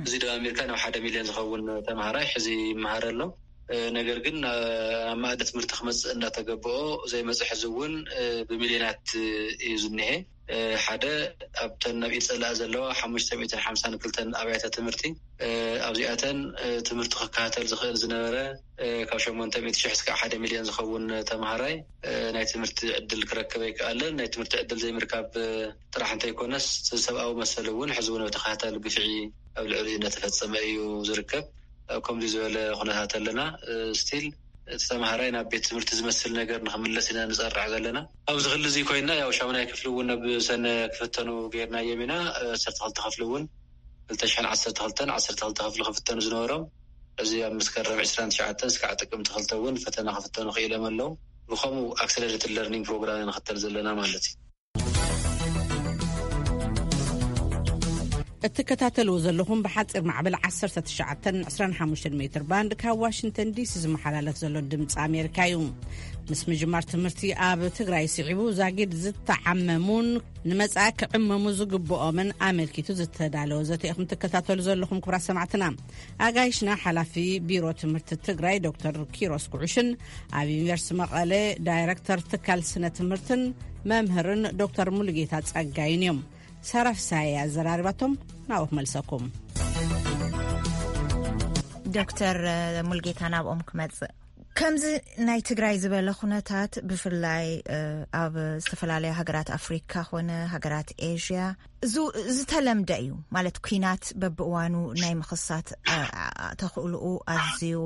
እዚ ደማሚርካ ናብ ሓደ ሚልዮን ዝኸውን ተምሃራይ ሕዚ ይመሃር ኣሎ። ነገር ግን ኣብ ማእዲ ትምህርቲ ክመፅእ እንዳተገበኦ ዘይመፅእ ሕዚ እውን ብሚልዮናት እዩ ዝኒሀ። ሓደ ኣብተን ናብ ኢድ ፀላእ ዘለዋ ሓሙሽተ ሚእትን ሓምሳን ክልተን ኣብያተ ትምህርቲ ኣብዚኣተን ትምህርቲ ክከታተል ዝኽእል ዝነበረ ካብ ሸሞንተ ሚእቲ ሽሕ እስከ ሓደ ሚልዮን ዝኸውን ተምሃራይ ናይ ትምህርቲ ዕድል ክረክብ ኣይከኣለን። ናይ ትምህርቲ ዕድል ዘይምርካብ ጥራሕ እንተይኮነስ ሰብኣዊ መሰል እውን ሕዚ እውን ኣብ ተኸታታሊ ግፍዒ ኣብ ልዕሊኡ እናተፈፀመ እዩ ዝርከብ። ኣብ ከምዚ ዝበለ ኩነታት ኣለና። ስቲል እቲ ተምሃራይ ናብ ቤት ትምህርቲ ዝመስል ነገር ንክምለስ ኢና ንፀርዕ ዘለና። ኣብዚ ክሊ እዚ ኮይና ያው ሻሙናይ ክፍሊ እውን ናብ ሰነ ክፍተኑ ገይርናዮም ኢና። ዓሰርተ ክልተ ክፍሊ እውን ክልተ ሽሕን ዓሰርተ ክልተን ዓሰርተ ክልተ ክፍሊ ክፍተኑ ዝነበሮም እዚ ኣብ መስከረም ዕስራን ትሽዓተን እስካዕ ጥቅምቲ ክልተ እውን ፈተና ክፍተኑ ክኢሎም ኣለዉ። ብከምኡ ኣክሰለሬትድ ለርኒንግ ፕሮግራም ንክተል ዘለና ማለት እዩ። እትከታተልዎ ዘለኹም ብሓፂር ማዕበል ዓሰርተ ትሽዓተን ዕስራን ሓሙሽተን ሜትር ባንድ ካብ ዋሽንግተን ዲሲ ዝመሓላለፍ ዘሎ ድምፂ ኣሜሪካ እዩ። ምስ ምጅማር ትምህርቲ ኣብ ትግራይ ስዒቡ ዛጊድ ዝተዓመሙን ንመጻኢ ክዕመሙ ዝግብኦምን ኣመልኪቱ ዝተዳለወ ዘተ ኢኹም ትከታተሉ ዘለኹም ክቡራት ሰማዕትና። ኣጋይሽና ሓላፊ ቢሮ ትምህርቲ ትግራይ ዶክተር ኪሮስ ጉዑሽን ኣብ ዩኒቨርሲቲ መቐለ ዳይረክተር ትካል ስነ ትምህርትን መምህርን ዶክተር ሙሉጌታ ጸጋይን እዮም። ሳራ ፍሳሐ ኣዘራሪባቶም። ናብኡ ክመልሰኩም። ዶክተር ሙልጌታ ናብኦም ክመጽእ። ከምዚ ናይ ትግራይ ዝበለ ኩነታት ብፍላይ ኣብ ዝተፈላለዩ ሃገራት ኣፍሪካ ኮነ ሃገራት ኤዥያ ዝ- ዝተለምደ እዩ። ማለት ኩናት በብእዋኑ ናይ ምኽሳት ኣ- ኣ- ተኽእልኡ ኣዝዩ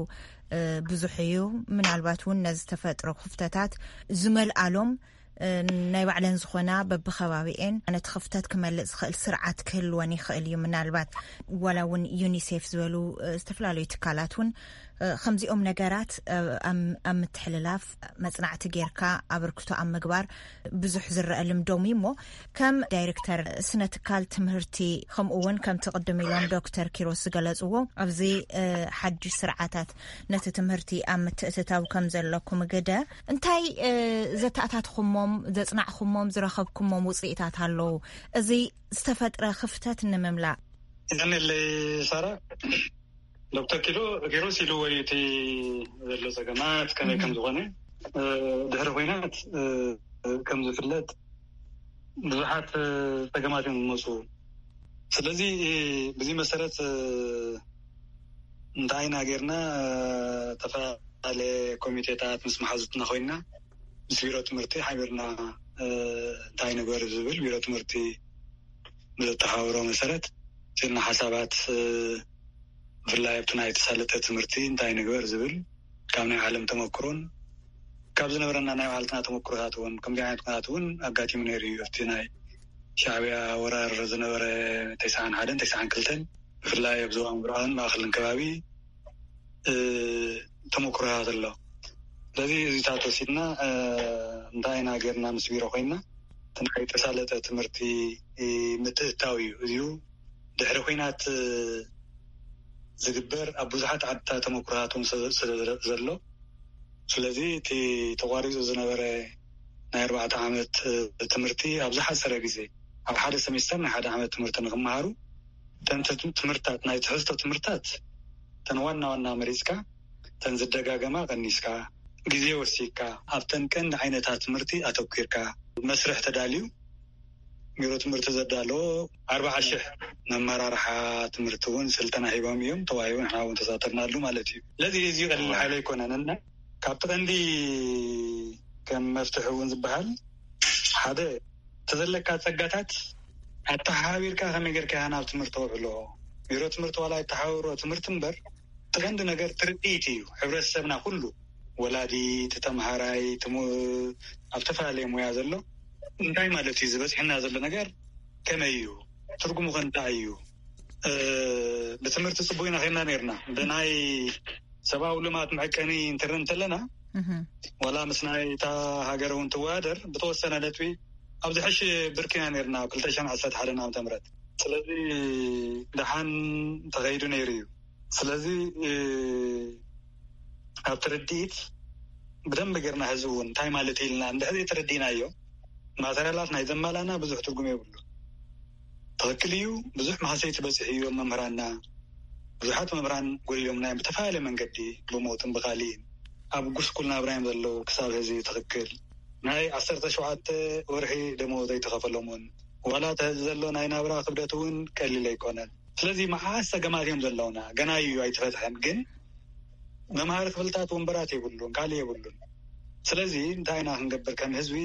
እ፣ ብዙሕ እዩ። ምናልባት እውን ነዚ ተፈጥሮ ክፍተታት ዝመልኣሎም እ፣ ናይ ባዕለን ዝኾና በብኸባቢኤን ነቲ ክፍተት ክመልእ ዝኽእል ስርዓት ክህልወን ይኽእል እዩ። ምናልባት ዋላ እውን ዩኒሴፍ ዝበሉ እ፣ ዝተፈላለዩ ትካላት እውን እ፣ ከምዚኦም ነገራት እ፣ ኣብ ኣብ ምትሕልላፍ መጽናዕቲ ጌርካ ኣበርክቶ ኣብ ምግባር ብዙሕ ዝረአ ልምዶም እዩ እሞ ከም ዳይሬክተር ስነ ትካል ትምህርቲ ከምኡ እውን ከምቲ ቅድም ኢሎም ዶክተር ኪሮስ ዝገለፅዎ ኣብዚ እ፣ ሓድሽ ስርዓታት ነቲ ትምህርቲ ኣብ ምትእትታው ከም ዘለኩም ግደ እንታይ እ፣ ዘተኣታትኹሞም ዘፅናዕኹሞም ዝረኸብኩሞም ውፅኢታት ኣለዉ? እዚ ዝተፈጥረ ክፍተት ንምምላእ። ይቀኒለይ ሳራ። ዶክተር ኪሎ ኪሮስ ኢልዎ እዩ እቲ ዘሎ ጸገማት ከመይ ከም ዝኾነ። እ፣ ድሕሪ ኹናት እ፣ ከም ዝፍለጥ ብዙሓት እ፣ ጸገማት እዮም ዝመፁ። ስለዚ እ፣ ብዚ መሰረት እ፣ እንታይ ኢና ጌርና እ፣ ተፈላለየ ኮሚቴታት ምስ መሓዙትና ኮይና ምስ ቢሮ ትምህርቲ ሓቢርና እ፣ እንታይ ንግበር ዝብል ቢሮ ትምህርቲ ብዘተሓባበሮ መሰረት ስኢልና ሓሳባት እ፣ ብፍላይ ኣብቲ ናይ ተሳለጠ ትምህርቲ እንታይ ንግበር ዝብል ካብ ናይ ዓለም ተመክሮን ካብ ዝነበረና ናይ ባዕልትና ተመክሮታት እውን ከምዚ ዓይነት ኩነታት እውን ኣጋጢሙ ነይሩ እዩ። ኣብቲ ናይ ሻዕብያ ወራር ዝነበረ ተስዓን ሓደን ተስዓን ክልተን ብፍላይ ኣብ ዞባ ምብራቕን ማእኸልን ከባቢ እ፣ ተመክሮታት ኣሎ። ስለዚ እዚታት ወሲድና እ፣ እንታይ ኢና ጌርና ምስ ቢሮ ኮይና እቲ ናይ ተሳለጠ ትምህርቲ እ፣ ምትእትታው እዩ። እዚኡ ድሕሪ ኹናት እ፣ ዝግበር ኣብ ብዙሓት ዓድታት ተመክሮታት እውን ስለ ስለ ዘሎ ስለዚ እቲ ተቋሪፁ ዝነበረ ናይ ኣርባዕተ ዓመት እ፣ ትምህርቲ ኣብ ዝሓፀረ ግዜ ኣብ ሓደ ሰሚስተር ናይ ሓደ ዓመት ትምህርቲ ንክመሃሩ እተን ት- ትምህርትታት ናይ ትሕዝቶ ትምህርትታት እተን ዋና ዋና መሪፅካ እተን ዝደጋገማ ቀኒስካ ግዜ ወሲድካ ኣብተን ቀንዲ ዓይነታት ትምህርቲ ኣተኪርካ መስርሕ ተዳልዩ ቢሮ ትምህርቲ ዘዳለዎ ኣርባዓ ሽሕ መመራርሓ ትምህርቲ እውን ስልጠና ሂቦም እዮም ተዋሂቡ ንሕና እውን ተሳተፍናሉ ማለት እዩ። ስለዚ እዚ ቀሊል ሓይሊ ኣይኮነን እና ካብቲ ቀንዲ ከም መፍትሒ እውን ዝበሃል ሓደ ተዘለካ ፀጋታት ኣተሓባቢርካ ከመይ ጌርካ ናብ ትምህርቲ ተውዕሎ ቢሮ ትምህርቲ ዋላ ይተሓባበሮ ትምህርቲ እምበር፣ እቲ ቀንዲ ነገር ትርኢት እዩ። ሕብረተሰብና ኩሉ፣ ወላዲ፣ እቲ ተምሃራይ፣ እቲ ሙ-፣ ኣብ ተፈላለየ ሙያ ዘሎ፣ እንታይ ማለት እዩ ዝበፅሕና ዘሎ ነገር፣ ከመይ እዩ፣ ትርጉሙ ከ እንታይ እዩ? እ፣ ብትምህርቲ ፅቡቅ ኢና ኸይና ነርና፣ ብናይ ሰብኣዊ ልማት መዐቀኒ እንትርኢ እንተለና፣ ዋላ ምስ ናይ እታ ሃገር እውን ትወዳደር፣ ብተወሰነ ነጥቢ ኣብ ዝሕሽ ብርኪና ነርና ኣብ ክልተ ሽሕን ዓሰርተ ሓደን ዓመተ ምህረት። ስለዚ ደሓን ተኸይዱ ነይሩ እዩ። ስለዚ፣ እ፣ ኣብ ትርድኢት ብደንብ ጌርና ህዝቢ እውን እንታይ ማለት ኢልና እንድሕር ተረዲእናዮ፣ ማተርያላት ናይ ዘማላና ብዙሕ ትርጉም የብሉ። ትኽክል እዩ፣ ብዙሕ ማህሰይቲ በፂሑ እዩ ኣብ መምህራንና። ብዙሓት መምህራን ጎዲሎምና እዮም ብተፈላለየ መንገዲ፣ ብሞትን ብኻሊእን። ኣብ ጉስቁል ናብራ እዮም ዘለዉ ክሳብ ሕዚ። ትኽክል፣ ናይ ዓሰርተ ሸውዓተ ወርሒ ደመወዝ ኣይተኸፈሎምን። ዋላ እቲ ሕዚ ዘሎ ናይ ናብራ ክብደት እውን ቀሊል ኣይኮነን። ስለዚ መዓስ ጸገማት እዮም ዘለውና፣ ገና እዩ ኣይተፈትሐን። ግን መምሃሪ ክፍልታት ወንበራት የብሉን፣ ካልእ የብሉን። ስለዚ እንታይ ኢና ክንገብር ከም ህዝቢ?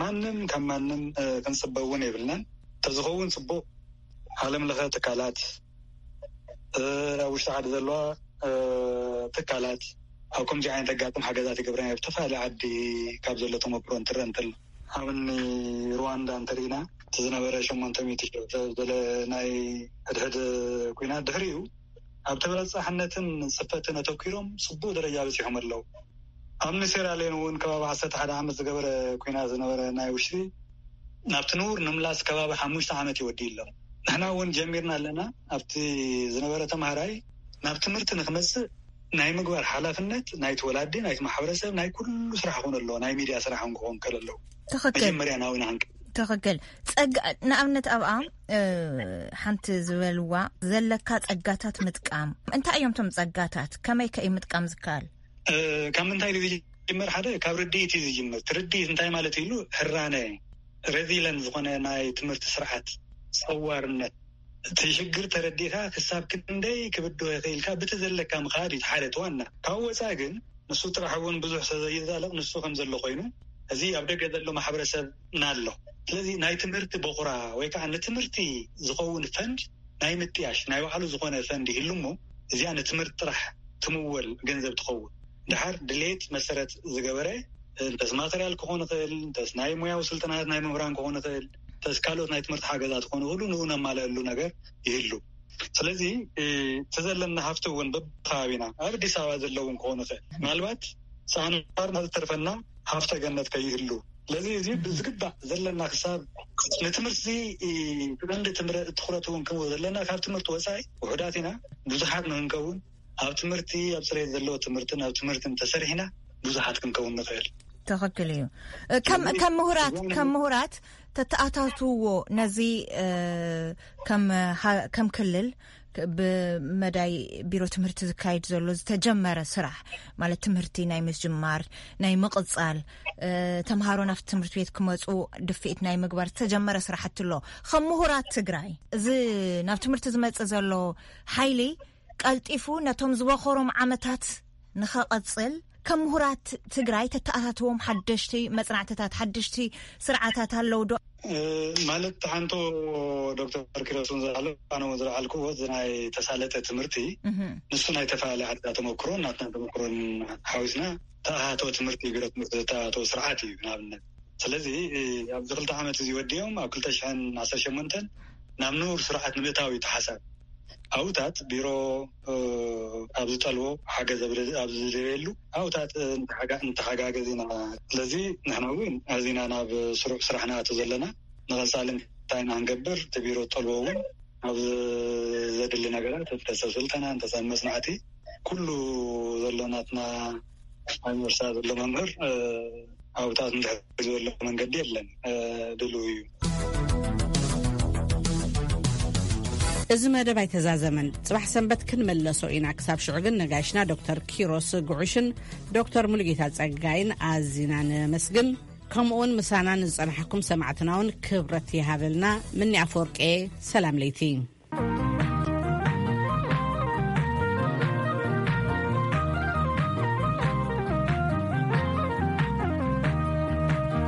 ማንም ካብ ማንም፣ እ፣ ክንጽበ እውን የብልናን። ተዝኸውን ጽቡቕ፣ ዓለም ለኸ ትካላት፣ እ፣ ኣብ ውሽጢ ዓዲ ዘለዋ፣ እ፣ ትካላት ኣብ ከምዚ ዓይነት ኣጋጥም ሓገዛት ይገብረና። ብተፈላለየ ዓዲ ካብ ዘሎ ተመክሮ እንትረአ እንተሎ፣ ኣብኒ ሩዋንዳ እንተሪኢና፣ እቲ ዝነበረ ሸሞንተ ሚእቲ ሺሕ ዘለ ናይ ሕድሕድ ኲናት ድሕሪኡ ኣብ ተበጻሕነትን ጽፈትን ኣተኲሮም ጽቡቕ ደረጃ በጺሖም ኣለዉ። ኣብ ሴራልዮን እውን ከባቢ ዓሰርተ ሓደ ዓመት ዝገበረ ኲናት ዝነበረ ናይ ውሽጢ፣ ናብቲ ንቡር ንምምላስ ከባቢ ሓሙሽተ ዓመት ይወዲ ኣሎ። ንሕና እውን ጀሚርና ኣለና። ኣብቲ ዝነበረ ተምሃራይ ናብ ትምህርቲ ንክመጽእ ናይ ምግባር ሓላፍነት ናይቲ ወላዲ፣ ናይቲ ማሕበረሰብ፣ ናይ ኩሉ ስራሕ ክኾን ኣለዎ። ናይ ሚድያ ስራሕ እውን ክኾን ከለለዎ ትኽክል። መጀመርያ ናዊና ክንቀ ትኽክል። ጸጋ፣ ንኣብነት ኣብኣ፣ እ፣ ሓንቲ ዝበልዋ ዘለካ ጸጋታት ምጥቃም። እንታይ እዮም እቶም ጸጋታት? ከመይ ከ እዩ ምጥቃም ዝከኣል? እ፣ ካብ ምንታይ ድዩ ዝጅምር? ሓደ ካብ ርድኢት እዩ ዝጅምር። እቲ ርድኢት እንታይ ማለት እዩ ኢሉ፣ ሕራነ፣ ሬዚለንት ዝኾነ ናይ ትምህርቲ ስርዓት፣ ጸዋርነት። እቲ ሽግር ተረዲእካ ክሳብ ክንደይ ክብድሆ ይኽእልካ ብቲ ዘለካ ምኻድ እዩ ሓደ እቲ ዋና። ካብ ወፃኢ ግን ንሱ ጥራሕ እውን ብዙሕ ሰብ ዘይዛለቕ ንሱ ከም ዘሎ ኮይኑ፣ እዚ ኣብ ደገ ዘሎ ማሕበረሰብ ናሎ። ስለዚ ናይ ትምህርቲ ቦኽራ ወይ ከዓ ንትምህርቲ ዝኸውን ፈንድ ናይ ምጥያሽ ናይ ባዕሉ ዝኾነ ፈንድ ይህሉ እሞ፣ እዚኣ ንትምህርቲ ጥራሕ ትምወል ገንዘብ ትኸውን። ድሓር ድሌት መሰረት ዝገበረ፣ እንተስ ማተርያል ክኾን ይኽእል፣ እንተስ ናይ ሙያዊ ስልጠናት ናይ መምህራን ክኾን ይኽእል፣ እንተስ ካልኦት ናይ ትምህርቲ ሓገዛት ክኾኑ ይኽእሉ፣ ንኡ ነማልአሉ ነገር ይህሉ። ስለዚ፣ እ፣ እቲ ዘለና ሃፍቲ እውን በብከባቢና ኣብ ኣዲስ ኣበባ ዘለውን ክኾን ይኽእል። ምናልባት ሰኣን ባር ዝተርፈና ሃፍተ ገነት ከይህሉ። ስለዚ እዚ ብዝግባእ ዘለና ክሳብ ንትምህርቲ፣ እ፣ ብቐንዲ ትምህረ-፣ ትኹረት እውን ክንህቦ ዘለና፣ ካብ ትምህርቲ ወፃኢ ውሑዳት ኢና። ብዙሓት ንክንከውን ኣብ ትምህርቲ፣ ኣብ ፅሬት ዘለዎ ትምህርትን ኣብ ትምህርትን ተሰሪሕና ብዙሓት ክንከውን ንኽእል። ትኽክል እዩ። እ፣ ከም፣ ስለዚ ከም ምሁራት፣ እዞም ከም ምሁራት ተተኣታትውዎ ነዚ፣ እ፣ ከም ሃ-፣ ከም ክልል ክ-፣ ብመዳይ ቢሮ ትምህርቲ ዝካየድ ዘሎ ዝተጀመረ ስራሕ ማለት ትምህርቲ ናይ ምጅማር፣ ናይ ምቕጻል፣ እ፣ ተምሃሮ ናብቲ ትምህርቲ ቤት ክመጹ ድፍኢት ናይ ምግባር ዝተጀመረ ስራሕቲ ኣሎ። ከም ምሁራት ትግራይ እዚ ናብ ትምህርቲ ዝመጽእ ዘሎ ሓይሊ ቀልጢፉ ነቶም ዝበኸሮም ዓመታት ንኸቐጽል ከም ምሁራት ትግራይ ተተኣታትዎም ሓደሽቲ መጽናዕትታት፣ ሓደሽቲ ስርዓታት ኣለዉ ዶ? እ፣ ማለት ሓንቶ ዶክተር ኪሮስ እውን ዝለዓሎ፣ ኣነ እውን ዝለዓልኩዎ፣ እዚ ናይ ተሳለጠ ትምህርቲ፣ እህ። ንሱ ናይ ተፈላለየ ዓድታት ተመክሮን ናትና ተመክሮን ሓዊስና ተኣታቶ ትምህርቲ፣ ቢሮ ትምህርቲ ዘተኣታቶ ስርዓት እዩ ንኣብነት። ስለዚ፣ እ፣ ኣብዚ ክልተ ዓመት እዚ ወዲኦም ኣብ ክልተ ሽሕን ዓሰርተ ሸሞንተን ናብ ንቡር ስርዓት ንምእታው እዩ ተሓሳብ። ኣብታት ቢሮ፣ እ፣ ኣብ ዝጠልቦ ሓገዝ ኣብ ዝ-፣ ኣብ ዝደልየሉ ኣብታት፣ እ፣ እንተሓጋ-፣ እንተሓጋገዝ ኢና። ስለዚ ንሕና እውን ኣዚና ናብ ስሩዕ ስራሕ ንኣቱ ዘለና። ንቐጻሊ እንታይ ኢና ክንገብር? እቲ ቢሮ ዝጠልቦ እውን ኣብ ዘድሊ ነገራት፣ እንተሰብ ስልጠና፣ እንተሰብ መጽናዕቲ፣ ኩሉ ዘሎ ናትና ኣብ ዩኒቨርሲታት ዘሎ መምህር፣ እ፣ ኣብታት እንድሕር ዘሎ መንገዲ የለን፣ እ፣ ድልው እዩ። እዚ መደብ ኣይተዛዘመን። ጽባሕ ሰንበት ክንመለሶ ኢና። ክሳብ ሽዑ ግን ነጋሽና ዶክተር ኪሮስ ጉዑሽን ዶክተር ሙሉጌታ ጸጋይን ኣዚና ነመስግን። ከምኡውን ምሳና ንዝጸናሕኩም ሰማዕትና እውን ክብረት ይሃበልና። ምኒ ኣፈወርቄ፣ ሰላም ለይቲ።